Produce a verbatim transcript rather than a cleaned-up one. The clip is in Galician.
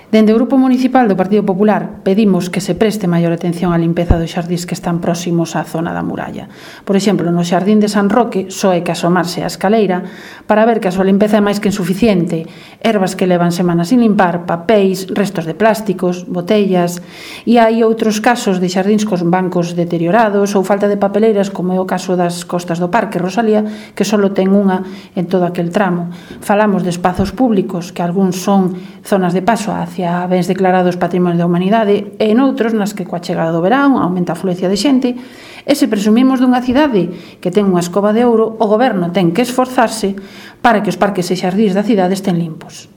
Dende o Grupo Municipal do Partido Popular pedimos que se preste maior atención á limpeza dos xardíns que están próximos á zona da muralla. Por exemplo, no xardín de San Roque só hai que asomarse á escaleira para ver que a súa limpeza é máis que insuficiente. Ervas que levan semanas sin limpar, papéis, restos de plásticos, botellas, e hai outros casos de xardíns cos bancos deteriorados ou falta de papeleiras, como é o caso das costas do Parque Rosalía, que só ten unha en todo aquel tramo. Falamos de espazos públicos, que algúns son zonas de paso hacia a bens declarados Patrimonio da Humanidade e en outros nas que coa chegada do verán aumenta a afluencia de xente, e se presumimos dunha cidade que ten unha escova de ouro, o goberno ten que esforzarse para que os parques e xardíns da cidade estén limpos.